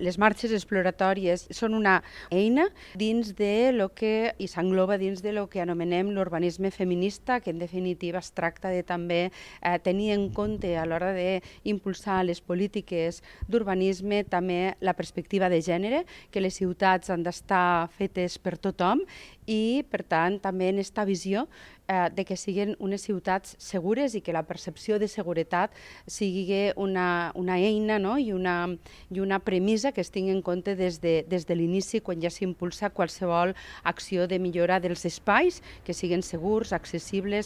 Les marxes exploratòries són una eina dins de lo que, i s'engloba dins de lo que anomenem l'urbanisme feminista, que en definitiva es tracta de també tenir en compte a l'hora d'impulsar les polítiques d'urbanisme també la perspectiva de gènere, que les ciutats han d'estar fetes per tothom i, per tant, també en aquesta visió de que siguin unes ciutats segures i que la percepció de seguretat sigui una eina, no? i una premissa que es tingui en compte des de l'inici, quan ja s'impulsa qualsevol acció de millora dels espais, que siguin segurs, accessibles,